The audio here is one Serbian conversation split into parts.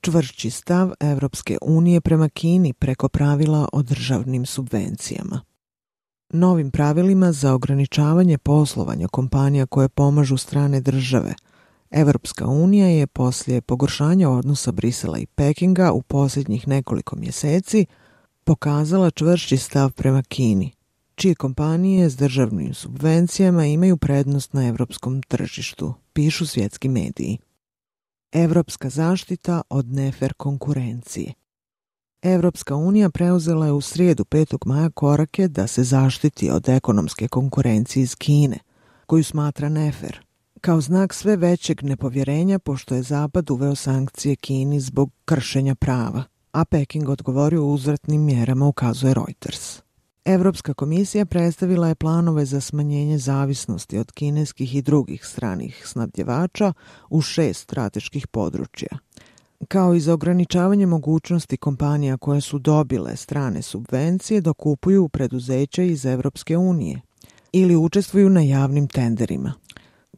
čvršći stav Evropske unije prema Kini preko pravila o državnim subvencijama. Novim pravilima za ograničavanje poslovanja kompanija koje pomažu strane države, Evropska unija je poslije pogoršanja odnosa Brisela i Pekinga u posljednjih nekoliko mjeseci pokazala čvršći stav prema Kini, čije kompanije s državnim subvencijama imaju prednost na evropskom tržištu, pišu svjetski mediji. Evropska zaštita od nefer konkurencije. Evropska unija preuzela je u srijedu 5. maja korake da se zaštiti od ekonomske konkurencije iz Kine, koju smatra nefer, kao znak sve većeg nepovjerenja pošto je Zapad uveo sankcije Kini zbog kršenja prava, a Peking odgovorio uzvratnim mjerama, ukazuje Reuters. Evropska komisija predstavila je planove za smanjenje zavisnosti od kineskih i drugih stranih snabdjevača u 6 strateških područja, kao i za ograničavanje mogućnosti kompanija koje su dobile strane subvencije da kupuju preduzeća iz Evropske unije ili učestvuju na javnim tenderima.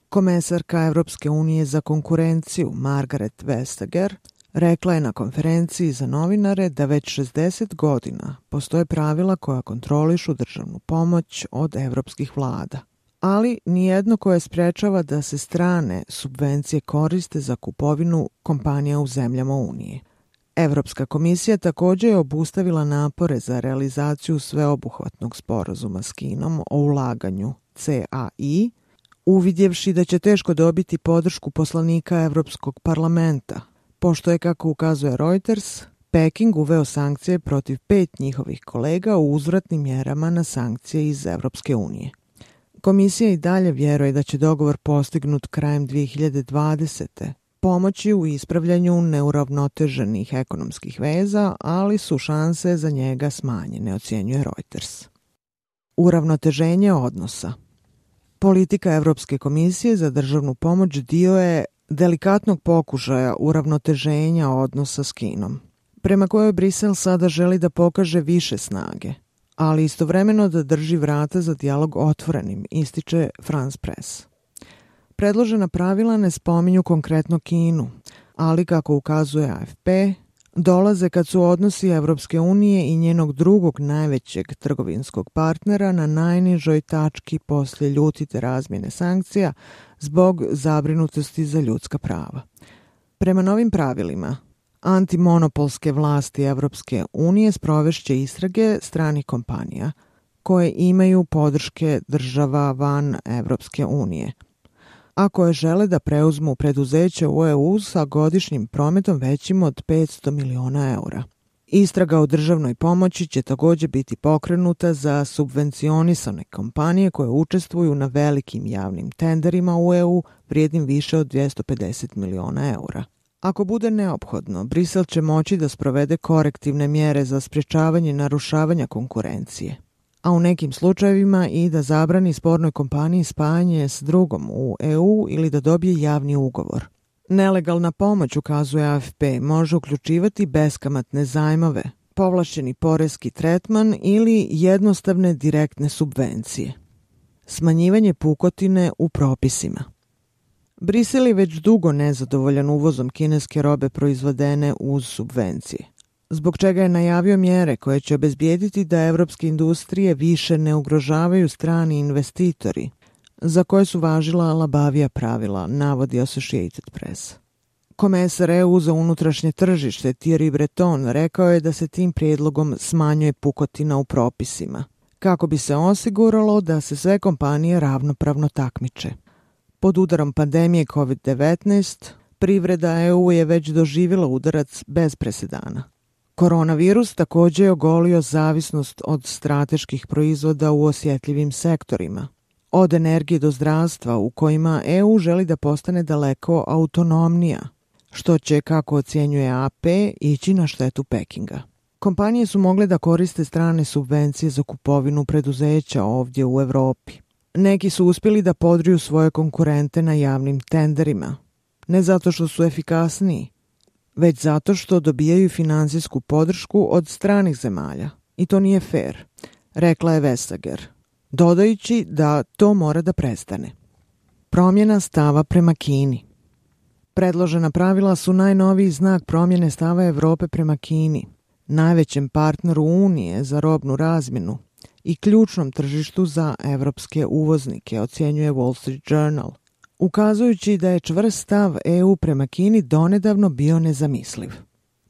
Komesarka Evropske unije za konkurenciju Margaret Vestager rekla je na konferenciji za novinare da već 60 godina postoje pravila koja kontrolišu državnu pomoć od evropskih vlada, ali nijedno koje sprečava da se strane subvencije koriste za kupovinu kompanija u zemljama Unije. Evropska komisija također je obustavila napore za realizaciju sveobuhvatnog sporazuma s Kinom o ulaganju CAI, uvidjevši da će teško dobiti podršku poslanika Evropskog parlamenta, pošto je, kako ukazuje Reuters, Peking uveo sankcije protiv 5 njihovih kolega u uzvratnim mjerama na sankcije iz Evropske unije. Komisija i dalje vjeruje da će dogovor postignut krajem 2020. pomoći u ispravljanju neuravnoteženih ekonomskih veza, ali su šanse za njega smanjene, ocjenjuje Reuters. Uravnoteženje odnosa. Politika Evropske komisije za državnu pomoć dio je delikatnog pokušaja uravnoteženja odnosa s Kinom, prema kojoj Brisel sada želi da pokaže više snage, ali istovremeno da drži vrata za dijalog otvorenim, ističe France Press. Predložena pravila ne spominju konkretno Kinu, ali, kako ukazuje AFP, dolaze kad su odnosi Evropske unije i njenog drugog najvećeg trgovinskog partnera na najnižoj tački poslije ljutite razmjene sankcija zbog zabrinutosti za ljudska prava. Prema novim pravilima, antimonopolske vlasti Evropske unije sprovešće istrage stranih kompanija koje imaju podrške država van Evropske unije, a koje žele da preuzmu preduzeće u EU sa godišnjim prometom većim od 500 miliona eura. Istraga o državnoj pomoći će također biti pokrenuta za subvencionisane kompanije koje učestvuju na velikim javnim tenderima u EU vrijednim više od 250 miliona eura. Ako bude neophodno, Brisel će moći da sprovede korektivne mjere za sprječavanje narušavanja konkurencije, a u nekim slučajevima i da zabrani spornoj kompaniji spajanje s drugom u EU ili da dobije javni ugovor. Nelegalna pomoć, ukazuje AFP, može uključivati beskamatne zajmove, povlašćeni porezki tretman ili jednostavne direktne subvencije. Smanjivanje pukotine u propisima. Brisel je već dugo nezadovoljan uvozom kineske robe proizvedene uz subvencije, zbog čega je najavio mjere koje će obezbijediti da evropske industrije više ne ugrožavaju strani investitori, za koje su važila labavija pravila, navodi Associated Press. Komesar EU za unutrašnje tržište Thierry Breton rekao je da se tim prijedlogom smanjuje pukotina u propisima, kako bi se osiguralo da se sve kompanije ravnopravno takmiče. Pod udarom pandemije COVID-19, privreda EU je već doživjela udarac bez presedana. Koronavirus također je ogolio zavisnost od strateških proizvoda u osjetljivim sektorima, od energije do zdravstva, u kojima EU želi da postane daleko autonomnija, što će, kako ocjenjuje AP, ići na štetu Pekinga. Kompanije su mogle da koriste strane subvencije za kupovinu preduzeća ovdje u Europi. Neki su uspjeli da podriju svoje konkurente na javnim tenderima, ne zato što su efikasniji, već zato što dobijaju financijsku podršku od stranih zemalja. I to nije fair, rekla je Vestager, dodajući da to mora da prestane. Promjena stava prema Kini. Predložena pravila su najnoviji znak promjene stava Evrope prema Kini, najvećem partneru Unije za robnu razmjenu i ključnom tržištu za evropske uvoznike, ocjenjuje Wall Street Journal, ukazujući da je čvrst stav EU prema Kini donedavno bio nezamisliv.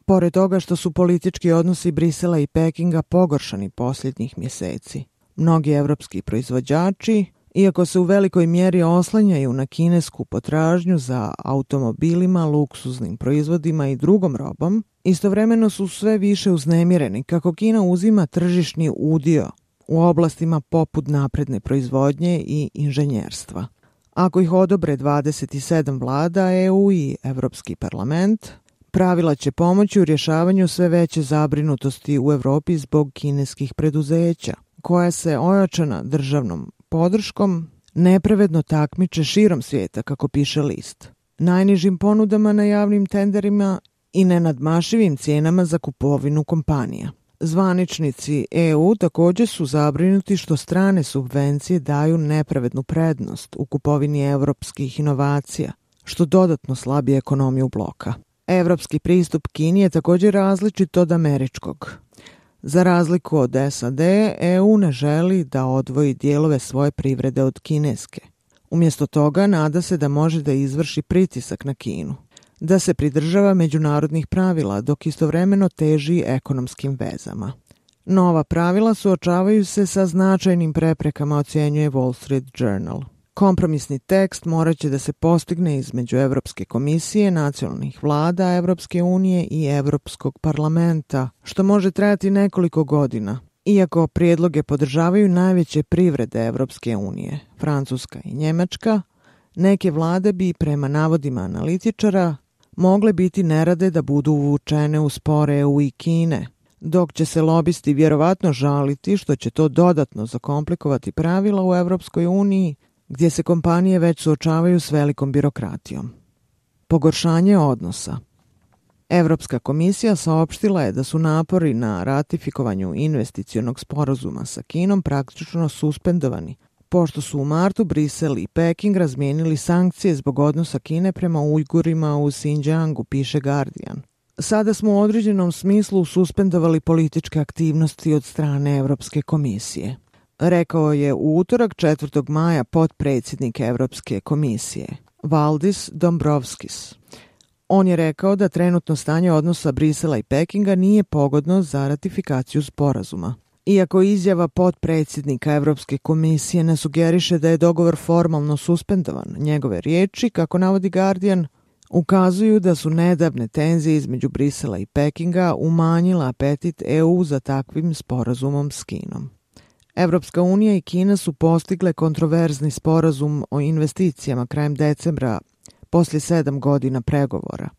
Pored toga što su politički odnosi Brisela i Pekinga pogoršani posljednjih mjeseci, mnogi evropski proizvođači, iako se u velikoj mjeri oslanjaju na kinesku potražnju za automobilima, luksuznim proizvodima i drugom robom, istovremeno su sve više uznemireni kako Kina uzima tržišni udio u oblastima poput napredne proizvodnje i inženjerstva. Ako ih odobre 27 vlada EU i Evropski parlament, pravila će pomoći u rješavanju sve veće zabrinutosti u Evropi zbog kineskih preduzeća, koja se ojačana državnom podrškom nepravedno takmiče širom svijeta, kako piše list, najnižim ponudama na javnim tenderima i nenadmašivim cijenama za kupovinu kompanija. Zvaničnici EU također su zabrinuti što strane subvencije daju nepravednu prednost u kupovini evropskih inovacija, što dodatno slabi ekonomiju bloka. Evropski pristup Kini je također različit od američkog. Za razliku od SAD, EU ne želi da odvoji dijelove svoje privrede od kineske. Umjesto toga nada se da može da izvrši pritisak na Kinu, da se pridržava međunarodnih pravila dok istovremeno teži ekonomskim vezama. Nova pravila suočavaju se sa značajnim preprekama, ocjenjuje Wall Street Journal. Kompromisni tekst morat će da se postigne između Evropske komisije, nacionalnih vlada Evropske unije i Evropskog parlamenta, što može trajati nekoliko godina. Iako prijedloge podržavaju najveće privrede Evropske unije, Francuska i Njemačka, neke vlade bi, prema navodima analitičara, mogle biti nerade da budu uvučene u spor EU i Kine, dok će se lobisti vjerovatno žaliti što će to dodatno zakomplikovati pravila u Evropskoj uniji, gdje se kompanije već suočavaju s velikom birokratijom. Pogoršanje odnosa. Evropska komisija saopštila je da su napori na ratifikovanju investicionog sporazuma sa Kinom praktično suspendovani, pošto su u martu Brisel i Peking razmijenili sankcije zbog odnosa Kine prema Ujgurima u Xinjiangu, piše Guardian. Sada smo u određenom smislu suspendovali političke aktivnosti od strane Evropske komisije, rekao je u utorak 4. maja potpredsjednik Evropske komisije, Valdis Dombrovskis. On je rekao da trenutno stanje odnosa Brisela i Pekinga nije pogodno za ratifikaciju sporazuma. Iako izjava potpredsjednika Evropske komisije ne sugeriše da je dogovor formalno suspendovan, njegove riječi, kako navodi Guardian, ukazuju da su nedavne tenzije između Brisela i Pekinga umanjila apetit EU za takvim sporazumom s Kinom. Evropska unija i Kina su postigle kontroverzni sporazum o investicijama krajem decembra poslije 7 godina pregovora.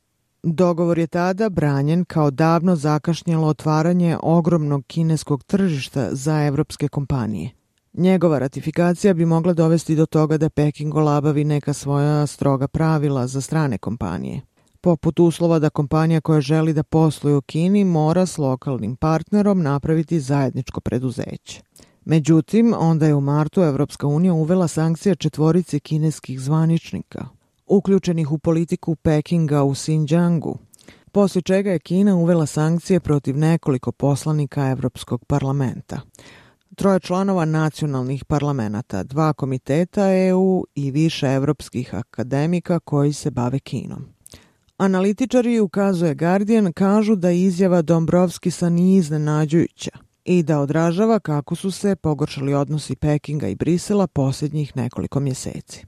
Dogovor je tada branjen kao davno zakašnjelo otvaranje ogromnog kineskog tržišta za evropske kompanije. Njegova ratifikacija bi mogla dovesti do toga da Peking olabavi neka svoja stroga pravila za strane kompanije, poput uslova da kompanija koja želi da posluje u Kini mora s lokalnim partnerom napraviti zajedničko preduzeće. Međutim, onda je u martu Evropska unija uvela sankcije 4 kineskih zvaničnika, uključenih u politiku Pekinga u Xinjiangu, poslije čega je Kina uvela sankcije protiv nekoliko poslanika Evropskog parlamenta, 3 članova nacionalnih parlamenta, 2 komiteta EU i više evropskih akademika koji se bave Kinom. Analitičari, ukazuje Guardian, kažu da izjava Dombrovskisa nije iznenađujuća i da odražava kako su se pogoršali odnosi Pekinga i Brisela posljednjih nekoliko mjeseci.